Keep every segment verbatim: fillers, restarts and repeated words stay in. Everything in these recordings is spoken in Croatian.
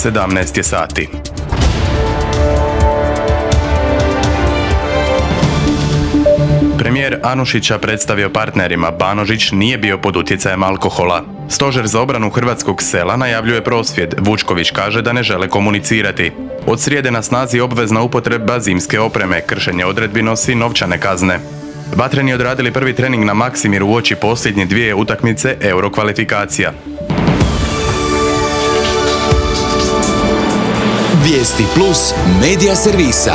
sedamnaest je sati. Premijer Anušića predstavio partnerima, Banožić nije bio pod utjecajem alkohola. Stožer za obranu hrvatskog sela najavljuje prosvjed, Vučković kaže da ne žele komunicirati. Od srijede na snazi obvezna upotreba zimske opreme, kršenje odredbi nosi novčane kazne. Vatreni odradili prvi trening na Maksimiru uoči posljednje dvije utakmice Euro kvalifikacija. Vijesti plus medija servisa.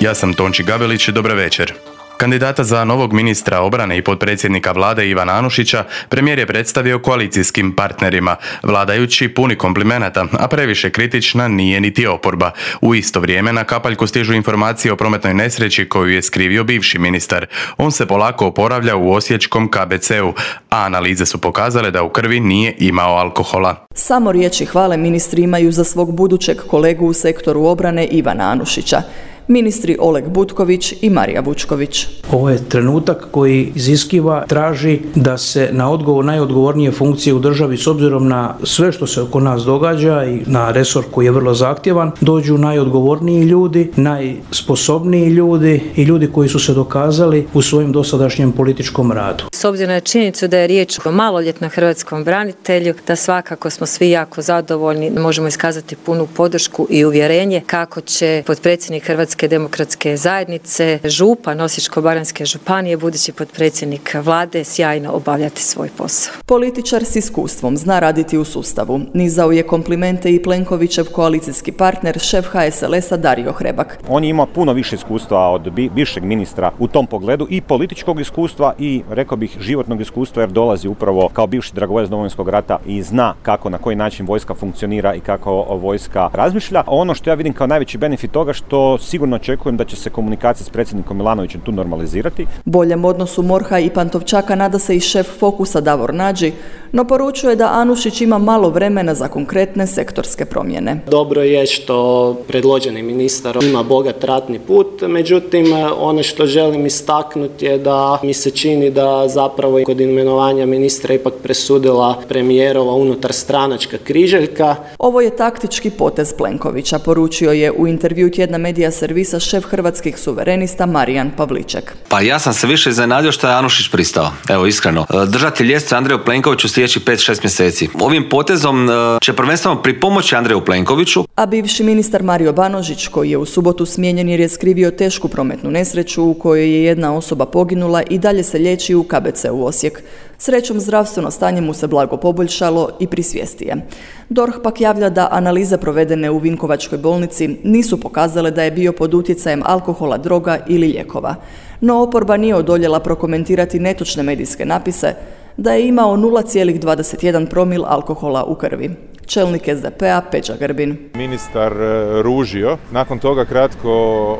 Ja sam Tonči Gavelić, dobar večer. Kandidata za novog ministra obrane i potpredsjednika vlade Ivana Anušića premijer je predstavio koalicijskim partnerima. Vladajući puni komplimenata, a previše kritična nije niti oporba. U isto vrijeme na kapaljku stižu informacije o prometnoj nesreći koju je skrivio bivši ministar. On se polako oporavlja u osječkom K B C-u, a analize su pokazale da u krvi nije imao alkohola. Samo riječi hvale ministri imaju za svog budućeg kolegu u sektoru obrane Ivana Anušića. Ministri Oleg Butković i Marija Vučković. Ovo je trenutak koji iziskiva, traži da se na odgovor najodgovornije funkcije u državi, s obzirom na sve što se oko nas događa i na resor koji je vrlo zahtjevan, dođu najodgovorniji ljudi, najsposobniji ljudi i ljudi koji su se dokazali u svojim dosadašnjem političkom radu. S obzirom na činjenicu da je riječ o maloljetnom hrvatskom branitelju, da svakako smo svi jako zadovoljni, možemo iskazati punu podršku i uvjerenje kako će potpredsjednik Hrvatske demokratske zajednice, župan Osječko-baranjske županije, budući potpredsjednik vlade, sjajno obavljati svoj posao. Političar s iskustvom zna raditi u sustavu. Nizao je komplimente i Plenkovićev koalicijski partner, šef H S L S-a Dario Hrebak. On ima puno više iskustva od bivšeg ministra u tom pogledu, i političkog iskustva i, rekao bih, životnog iskustva, jer dolazi upravo kao bivši dragovoljac Domovinskog rata i zna kako, na koji način vojska funkcionira i kako vojska razmišlja. Ono što ja vidim kao najveći benefit toga, što sigurno očekujem da će se komunikacija s predsjednikom Milanovićem tu normalizirati. Boljem odnosu Morha i Pantovčaka nada se i šef Fokusa Davor Nađi, no poručuje da Anušić ima malo vremena za konkretne sektorske promjene. Dobro je što predloženi ministar ima bogat ratni put, međutim ono što želim istaknuti je da mi se čini da zapravo kod imenovanja ministra ipak presudila premijerova unutar stranačka križaljka. Ovo je taktički potez Plenkovića, poručio je u intervju tjedna medija servisa šef Hrvatskih suverenista Marijan Pavliček. Pa ja sam se više iznenadio što je Anušić pristao. Evo, iskreno. Držati ljestve Andreju Plenkoviću sljedećih pet šest mjeseci. Ovim potezom će prvenstveno pripomoći Andreju Plenkoviću. A bivši ministar Mario Banožić, koji je u subotu smijenjen jer je skrivio tešku prometnu nesreću u kojoj je jedna osoba poginula, i dalje se liječi u K B C-u Osijek. Srećom, zdravstveno stanje mu se blago poboljšalo i pri svijesti je. D O R H pak javlja da analize provedene u Vinkovačkoj bolnici nisu pokazale da je bio pod utjecajem alkohola, droga ili lijekova. No oporba nije odoljela prokomentirati netočne medijske napise da je imao nula zarez dvadeset jedan promil alkohola u krvi. Čelnik S D P-a Peđa Grbin. Ministar ružio, nakon toga kratko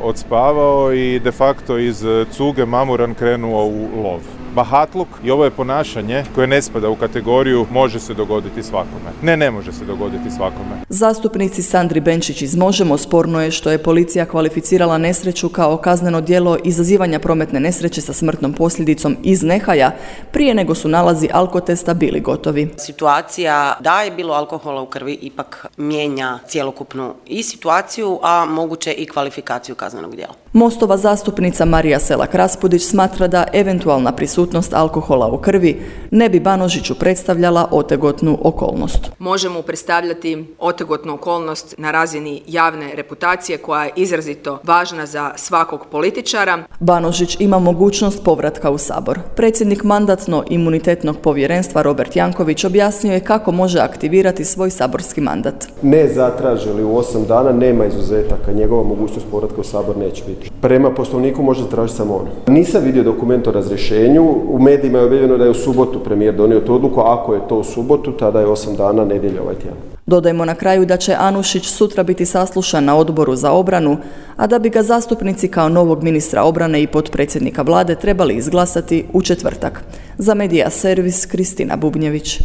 odspavao i de facto iz cuge mamuran krenuo u lov. Bahatluk i ovo je ponašanje koje ne spada u kategoriju može se dogoditi svakome. Ne, ne može se dogoditi svakome. Zastupnici Sandri Benčić iz Možemo sporno je što je policija kvalificirala nesreću kao kazneno djelo izazivanja prometne nesreće sa smrtnom posljedicom iz nehaja prije nego su nalazi alkotesta bili gotovi. Situacija da je bilo alkohola u krvi ipak mijenja cjelokupnu i situaciju, a moguće i kvalifikaciju kaznenog djela. Mostova zastupnica Marija Selak-Raspudić smatra da eventualna prisutnost alkohola u krvi ne bi Banožiću predstavljala otegotnu okolnost. Možemo predstavljati otegotnu okolnost na razini javne reputacije koja je izrazito važna za svakog političara. Banožić ima mogućnost povratka u Sabor. Predsjednik Mandatno-imunitetnog povjerenstva Robert Janković objasnio je kako može aktivirati svoj saborski mandat. Ne zatraži li u osam dana, nema izuzetaka, njegova mogućnost povratka u Sabor neće biti. Prema Poslovniku može tražiti samo on. Nisam vidio dokument o razrješenju, u medijima je objavljeno da je u subotu premijer donio tu odluku, ako je to u subotu, tada je osam dana, nedjelja ovaj tjedan. Dodajmo na kraju da će Anušić sutra biti saslušan na Odboru za obranu, a da bi ga zastupnici kao novog ministra obrane i potpredsjednika vlade trebali izglasati u četvrtak. Za Medija servis Kristina Bubnjević.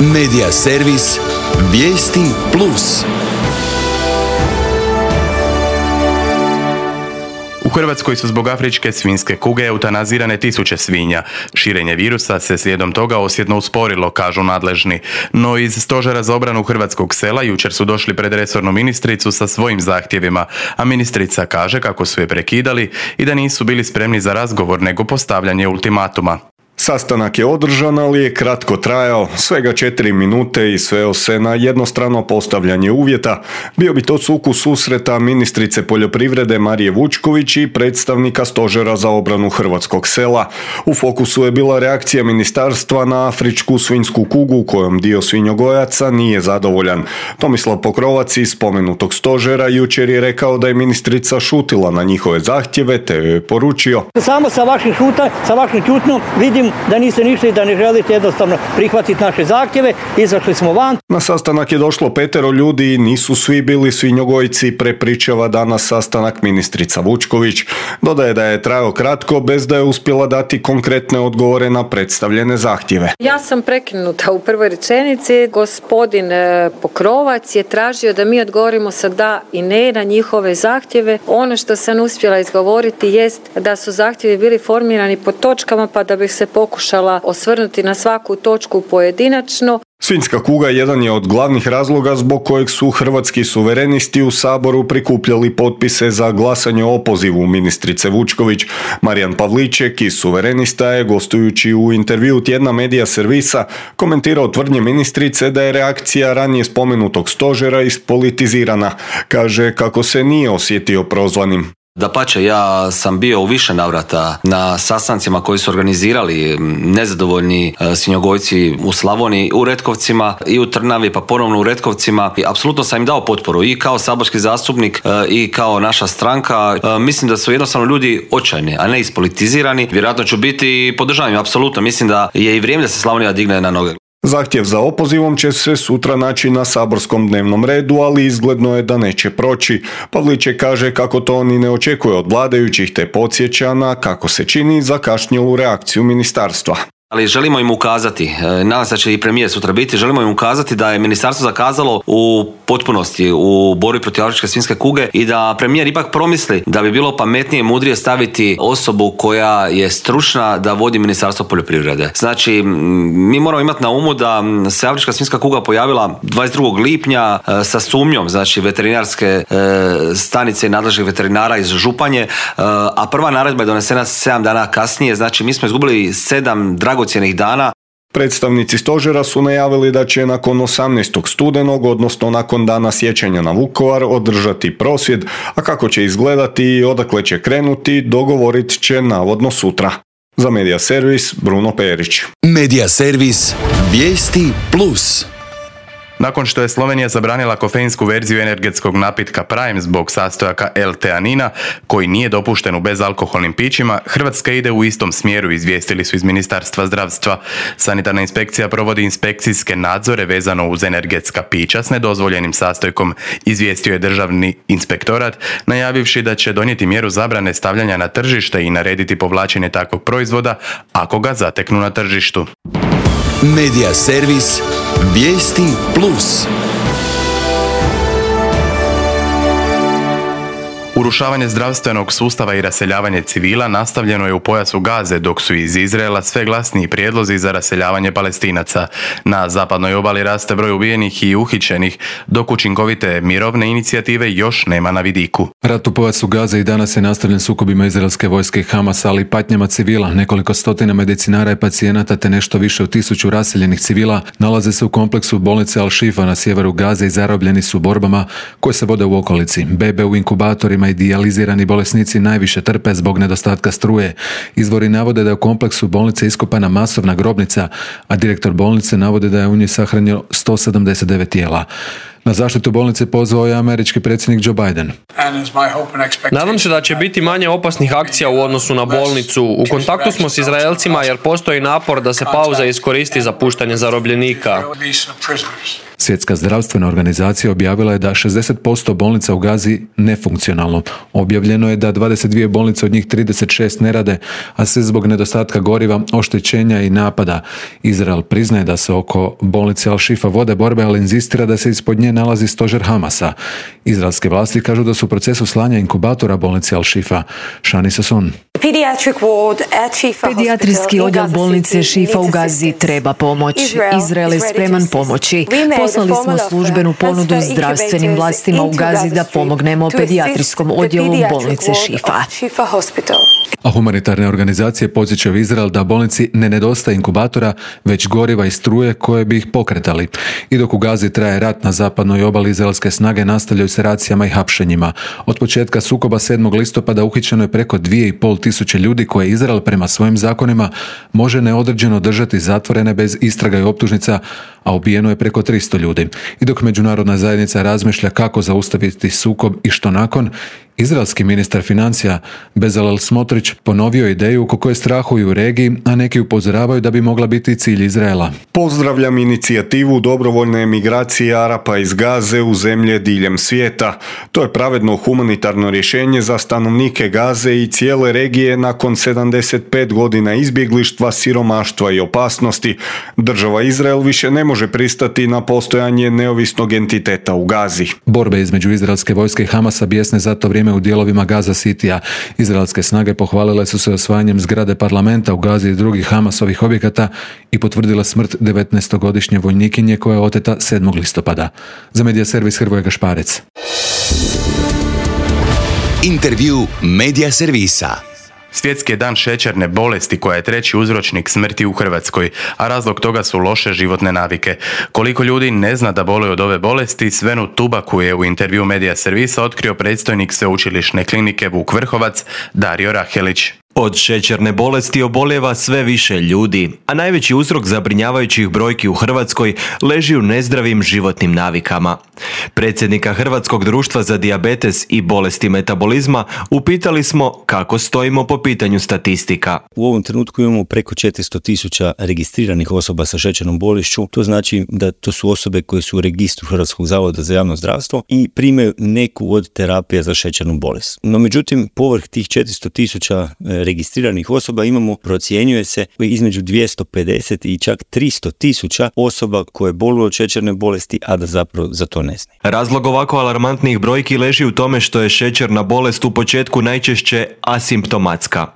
Medija servis Vijesti plus. U Hrvatskoj su zbog afričke svinjske kuge eutanazirane tisuće svinja. Širenje virusa se slijedom toga osjetno usporilo, kažu nadležni. No iz Stožera za obranu hrvatskog sela jučer su došli pred resornu ministricu sa svojim zahtjevima, a ministrica kaže kako su je prekidali i da nisu bili spremni za razgovor nego postavljanje ultimatuma. Sastanak je održan, ali je kratko trajao, svega četiri minute i sveo se na jednostrano postavljanje uvjeta. Bio bi to sukus susreta ministrice poljoprivrede Marije Vučković i predstavnika Stožera za obranu hrvatskog sela. U fokusu je bila reakcija ministarstva na afričku svinjsku kugu kojom dio svinjogojaca nije zadovoljan. Tomislav Pokrovac iz spomenutog stožera jučer je rekao da je ministrica šutila na njihove zahtjeve te joj je poručio: Samo sa vašim šuta, sa vašim čutnom vidim da niste ništa i da ne želite jednostavno prihvatiti naše zahtjeve, izašli smo van. Na sastanak je došlo petero ljudi i nisu svi bili svinjogojci, prepričava danas sastanak ministrica Vučković. Dodaje da je trajao kratko bez da je uspjela dati konkretne odgovore na predstavljene zahtjeve. Ja sam prekinuta u prvoj rečenici. Gospodin Pokrovac je tražio da mi odgovorimo sa da i ne na njihove zahtjeve. Ono što sam uspjela izgovoriti jest da su zahtjevi bili formirani po točkama, pa da bih se pokušala osvrnuti na svaku točku pojedinačno. Svinjska kuga jedan je od glavnih razloga zbog kojeg su hrvatski suverenisti u Saboru prikupljali potpise za glasanje o opozivu ministrice Vučković. Marijan Pavliček iz Suverenista je, gostujući u intervju tjedna Medija servisa, komentirao tvrdnje ministrice da je reakcija ranije spomenutog stožera ispolitizirana. Kaže kako se nije osjetio prozvanim. Dapače, ja sam bio u više navrata na sastancima koji su organizirali nezadovoljni svinjogojci u Slavoniji, u Retkovcima i u Trnavi, pa ponovno u Retkovcima. I apsolutno sam im dao potporu i kao saborski zastupnik i kao naša stranka. Mislim da su jednostavno ljudi očajni, a ne ispolitizirani. Vjerojatno ću biti podržavam, apsolutno. Mislim da je i vrijeme da se Slavonija digne na noge. Zahtjev za opozivom će se sutra naći na saborskom dnevnom redu, ali izgledno je da neće proći. Pavliček kaže kako to ni ne očekuje od vladajućih, te podsjeća na, kako se čini, zakašnjelu reakciju ministarstva. Ali želimo im ukazati, nadam se da će i premijer sutra biti, želimo im ukazati da je ministarstvo zakazalo u potpunosti u borbi protiv afričke svinjske kuge i da premijer ipak promisli da bi bilo pametnije i mudrije staviti osobu koja je stručna da vodi ministarstvo poljoprivrede. Znači, mi moramo imati na umu da se afrička svinjska kuga pojavila dvadeset drugog lipnja sa sumnjom, znači veterinarske stanice i nadležnih veterinara iz Županje, a prva naredba je donesena sedam dana kasnije, znači mi smo izgubili sedam dragocjenih dana. Predstavnici stožera su najavili da će nakon osamnaestog studenog, odnosno nakon dana sjećanja na Vukovar, održati prosvjed, a kako će izgledati i odakle će krenuti, dogovorit će navodno sutra. Za Medija servis, Bruno Perić. Medija servis, vijesti plus. Nakon što je Slovenija zabranila kofeinsku verziju energetskog napitka Prime zbog sastojaka L-teanina, koji nije dopušten u bezalkoholnim pićima, Hrvatska ide u istom smjeru, izvijestili su iz Ministarstva zdravstva. Sanitarna inspekcija provodi inspekcijske nadzore vezano uz energetska pića s nedozvoljenim sastojkom, izvijestio je Državni inspektorat, najavivši da će donijeti mjeru zabrane stavljanja na tržište i narediti povlačenje takvog proizvoda ako ga zateknu na tržištu. Medija servis, vijesti plus. Urušavanje zdravstvenog sustava i raseljavanje civila nastavljeno je u pojasu Gaze, dok su iz Izraela sve glasniji prijedlozi za raseljavanje Palestinaca. Na zapadnoj obali raste broj ubijenih i uhićenih, dok učinkovite mirovne inicijative još nema na vidiku. Rat u pojasu Gaze i danas je nastavljen sukobima izraelske vojske i Hamasa, ali i patnjama civila. Nekoliko stotina medicinara i pacijenata te nešto više od tisuću raseljenih civila nalaze se u kompleksu bolnice Al-Shifa na sjeveru Gaze i zarobljeni su borbama koje se vode u okolici. Bebe u inkubatorima i dijalizirani bolesnici najviše trpe zbog nedostatka struje. Izvori navode da je u kompleksu bolnice iskopana masovna grobnica, a direktor bolnice navode da je u njoj sahranjeno sto sedamdeset devet tijela. Na zaštitu bolnice pozvao je američki predsjednik Joe Biden. Nadam se da će biti manje opasnih akcija u odnosu na bolnicu. U kontaktu smo s Izraelcima jer postoji napor da se pauza iskoristi za puštanje zarobljenika. Svjetska zdravstvena organizacija objavila je da šezdeset posto bolnica u Gazi nefunkcionalno. Objavljeno je da dvadeset dvije bolnice od njih trideset šest ne rade, a sve zbog nedostatka goriva, oštećenja i napada. Izrael priznaje da se oko bolnice Al-Shifa vode borbe, ali inzistira da se ispod nje nalazi stožer Hamasa. Izraelske vlasti kažu da su u procesu slanja inkubatora bolnice Al-Shifa. Shani Sasson. Pedijatrijski odjel bolnice Šifa u Gazi treba pomoć. Izrael je spreman pomoći. Poslali smo službenu ponudu zdravstvenim vlastima u Gazi da pomognemo pedijatrijskom odjelu bolnice Šifa. A humanitarne organizacije podsjećaju Izrael da bolnici ne nedostaje inkubatora, već goriva i struje koje bi ih pokretali. I dok u Gazi traje rat na zapadnoj obali, izraelske snage nastavljaju se racijama i hapšenjima. Od početka sukoba sedmog listopada uhićeno je preko dvije i pol tisuće ljudi koje Izrael prema svojim zakonima može neodređeno držati zatvorene bez istraga i optužnica, a ubijeno je preko tristo ljudi. I dok međunarodna zajednica razmišlja kako zaustaviti sukob i što nakon, izraelski ministar financija Bezalel Smotrić ponovio ideju oko koje strahuju u regiji, a neki upozoravaju da bi mogla biti cilj Izraela. Pozdravljam inicijativu dobrovoljne emigracije Arapa iz Gaze u zemlje diljem svijeta. To je pravedno humanitarno rješenje za stanovnike Gaze i cijele regije nakon sedamdeset pet godina izbjeglištva, siromaštva i opasnosti. Država Izrael više ne može pristati na postojanje neovisnog entiteta u Gazi. Borbe između izraelske vojske i Hamasa bijesne za to vrijeme u dijelovima Gaza Citya. Izraelske snage pohvalile su se osvajanjem zgrade parlamenta u Gazi i drugih Hamasovih objekata i potvrdile smrt devetnaestogodišnje vojnikinje koja je oteta sedmog listopada. Za Medija servis Hrvoje Gašparec. Intervju Medija servisa. Svjetski je dan šećerne bolesti koja je treći uzročnik smrti u Hrvatskoj, a razlog toga su loše životne navike. Koliko ljudi ne zna da boluje od ove bolesti, Svenu Tubaku je u intervju Medija servisa otkrio predstojnik Sveučilišne klinike Vuk Vrhovac Dario Rahelić. Od šećerne bolesti obolijeva sve više ljudi, a najveći uzrok zabrinjavajućih brojki u Hrvatskoj leži u nezdravim životnim navikama. Predsjednika Hrvatskog društva za dijabetes i bolesti metabolizma upitali smo kako stojimo po pitanju statistika. U ovom trenutku imamo preko četiristo tisuća registriranih osoba sa šećernom bolešću. To znači da to su osobe koje su u registru Hrvatskog zavoda za javno zdravstvo i primaju neku od terapija za šećernu bolest. No međutim, povrh tih četiristo tisuća registriranih osoba imamo, procjenjuje se, između dvjesto pedeset i čak tristo tisuća osoba koje boluju od šećerne bolesti, a da zapravo za to ne znaju. Razlog ovako alarmantnih brojki leži u tome što je šećerna bolest u početku najčešće asimptomatska,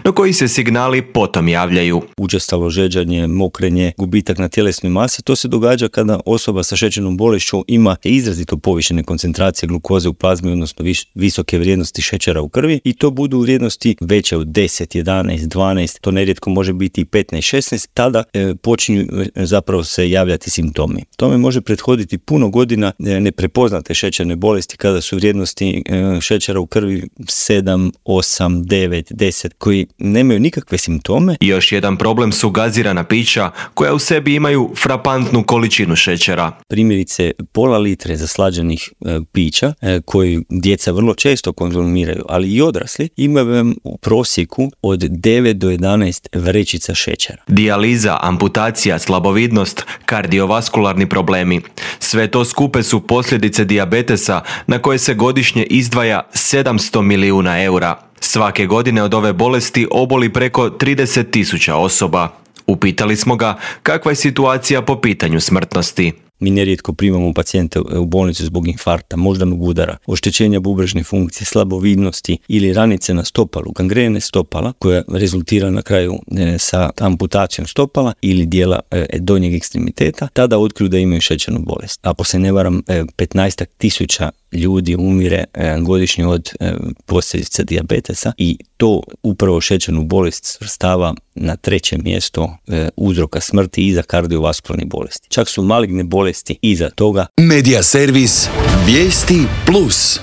no koji se signali potom javljaju. Učestalo žeđanje, mokrenje, gubitak na tjelesnoj masi, to se događa kada osoba sa šećernom bolešću ima izrazito povišene koncentracije glukoze u plazmi, odnosno vis- visoke vrijednosti šećera u krvi, i to budu vrijednosti veće od deset, jedanaest, dvanaest, to nerijetko može biti i petnaest, šesnaest, tada e, počinju e, zapravo se javljati simptomi. Tome može prethoditi puno godina e, neprepoznate šećerne bolesti kada su vrijednosti e, šećera u krvi sedam, osam, devet, deset, koji nemaju nikakve simptome. Još jedan problem su gazirana pića koja u sebi imaju frapantnu količinu šećera. Primjerice pola litre zaslađenih e, pića e, koji djeca vrlo često konzumiraju, ali i odrasli, imaju u prosjeku od devet do jedanaest vrećica šećera. Dijaliza, amputacija, slabovidnost, kardiovaskularni problemi. Sve to skupe su posljedice dijabetesa na koje se godišnje izdvaja sedamsto milijuna eura. Svake godine od ove bolesti oboli preko trideset tisuća osoba. Upitali smo ga kakva je situacija po pitanju smrtnosti. Mi nerijetko primamo pacijente u bolnicu zbog infarkta, moždanog udara, oštećenja bubrežne funkcije, slabovidnosti ili ranice na stopalu, gangrene stopala koja rezultira na kraju e, sa amputacijom stopala ili dijela e, donjeg ekstremiteta, tada otkriju da imaju šećernu bolest. Ako se ne varam, e, petnaest tisuća ljudi umire e, godišnje od e, posljedica dijabetesa i to upravo šećernu bolest svrstava na treće mjesto e, uzroka smrti iza kardiovaskularnih bolesti. Čak su maligne bolesti iza toga. Medija servis Vijesti plus.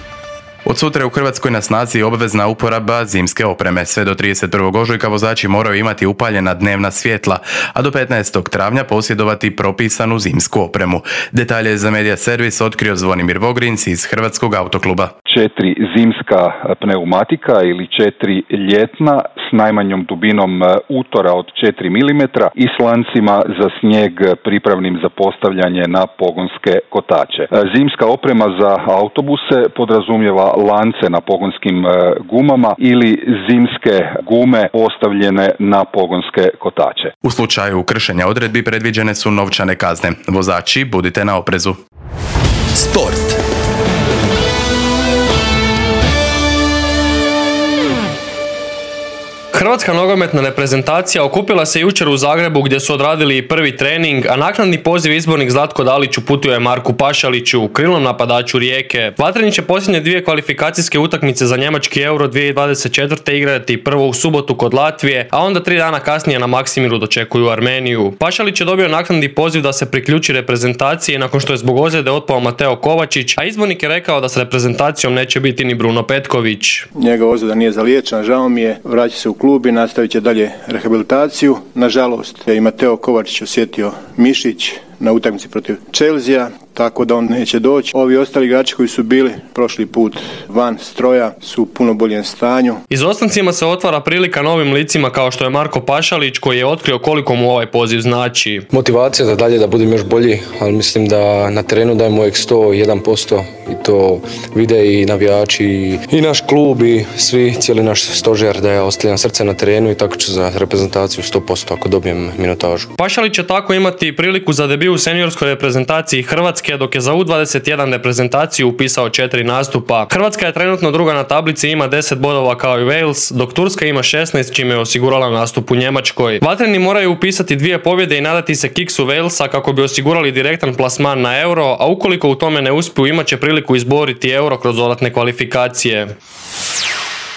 Od sutra je u Hrvatskoj na snazi obvezna uporaba zimske opreme. Sve do trideset prvog ožujka vozači moraju imati upaljena dnevna svjetla, a do petnaestog travnja posjedovati propisanu zimsku opremu. Detalje za Medija servis otkrio Zvonimir Vogrinc iz Hrvatskog autokluba. Četiri zimska pneumatika ili četiri ljetna s najmanjom dubinom utora od četiri milimetra i s lancima za snijeg pripravnim za postavljanje na pogonske kotače. Zimska oprema za autobuse podrazumijeva lance na pogonskim gumama ili zimske gume postavljene na pogonske kotače. U slučaju kršenja odredbi predviđene su novčane kazne. Vozači, budite na oprezu. Sport. Hrvatska nogometna reprezentacija okupila se jučer u Zagrebu gdje su odradili prvi trening, a naknadni poziv izbornik Zlatko Dalić uputio je Marku Pašaliću, krilnom napadaču Rijeke. Vatreni će posljednje dvije kvalifikacijske utakmice za njemački Euro dvije tisuće dvadeset četvrte igrati prvo u subotu kod Latvije, a onda tri dana kasnije na Maksimiru dočekuju Armeniju. Pašalić je dobio naknadni poziv da se priključi reprezentaciji nakon što je zbog ozljede otpao Mateo Kovačić, a izbornik je rekao da s reprezentacijom neće biti ni Bruno Petković. Njegova ozljeda nije zaliječena, žao mi je, vraća se u klub i nastavit će dalje rehabilitaciju. Nažalost, je i Mateo Kovačić osjetio mišić na utakmici protiv Chelsea, tako da on neće doći. Ovi ostali igrači koji su bili prošli put van stroja su u puno boljem stanju. Izostancima se otvara prilika novim licima kao što je Marko Pašalić koji je otkrio koliko mu ovaj poziv znači. Motivacija da dalje da budem još bolji, ali mislim da na terenu dajem uvijek sto jedan posto i to vide i navijači i naš klub i svi, cijeli naš stožer da ja ostavljam srce na terenu i tako ću za reprezentaciju sto posto ako dobijem minutažu. Pašalić će tako imati priliku za debiju u seniorskoj reprezentaciji Hrvatske, dok je za U dvadeset jedan reprezentaciju upisao četiri nastupa. Hrvatska je trenutno druga na tablici, ima deset bodova kao i Wales, dok Turska ima šesnaest, čime je osigurala nastup u Njemačkoj. Vatreni moraju upisati dvije pobjede i nadati se kiksu Walesa kako bi osigurali direktan plasman na Euro, a ukoliko u tome ne uspiju imat će priliku izboriti Euro kroz dodatne kvalifikacije.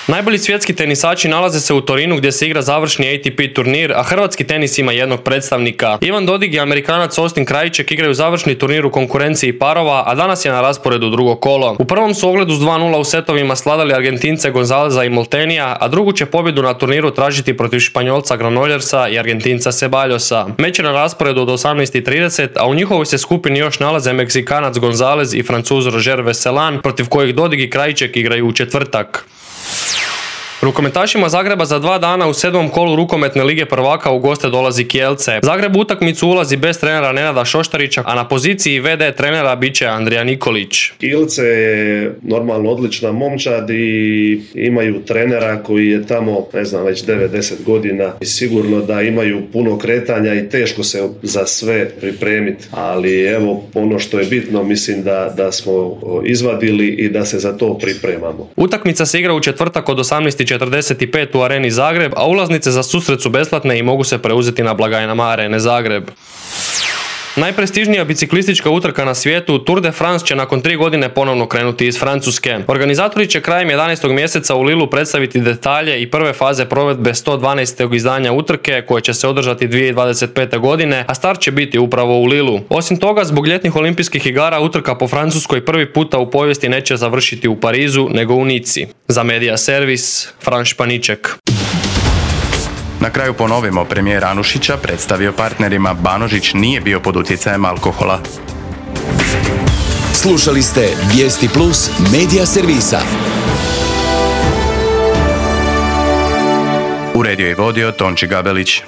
Najbolji svjetski tenisači nalaze se u Torinu gdje se igra završni A T P turnir, a hrvatski tenis ima jednog predstavnika. Ivan Dodig i Amerikanac Austin Krajicek igraju završni turnir u konkurenciji parova, a danas je na rasporedu drugo kolo. U prvom su ogledu s dva nula u setovima sladali Argentince Gonzaleza i Moltenija, a drugu će pobjedu na turniru tražiti protiv Španjolca Granollersa i Argentinca Ceballosa. Meč je na rasporedu od osamnaest i trideset, a u njihovoj se skupini još nalaze Meksikanac Gonzalez i Francuz Roger Veselan, protiv kojih Dodig i Krajicek igraju u četvrtak. Rukometašima Zagreba za dva dana u sedmom kolu rukometne lige prvaka u goste dolazi Kielce. Zagreb u utakmicu ulazi bez trenera Nenada Šoštarića, a na poziciji V D trenera bit će Andrija Nikolić. Kielce je normalno odlična momčad i imaju trenera koji je tamo, ne znam, već devet deset godina i sigurno da imaju puno kretanja i teško se za sve pripremiti, ali evo ono što je bitno, mislim da, da smo izvadili i da se za to pripremamo. Utakmica se igra u četvrtak od osamnaest i četrdeset pet u Areni Zagreb, a ulaznice za susret su besplatne i mogu se preuzeti na blagajnama Arene Zagreb. Najprestižnija biciklistička utrka na svijetu, Tour de France, će nakon tri godine ponovno krenuti iz Francuske. Organizatori će krajem jedanaestog mjeseca u Lilu predstaviti detalje i prve faze provedbe sto dvanaestog izdanja utrke koje će se održati dvije tisuće dvadeset pete godine, a start će biti upravo u Lilu. Osim toga, zbog ljetnih olimpijskih igara utrka po Francuskoj prvi puta u povijesti neće završiti u Parizu nego u Nici. Za Media Servis, Fran Španiček. Na kraju ponovimo, premijer Anušića predstavio partnerima Banožić nije bio pod utjecajem alkohola. Slušali ste Vijesti Plus Media Servisa. Uredio i vodio Tonči Gabelić.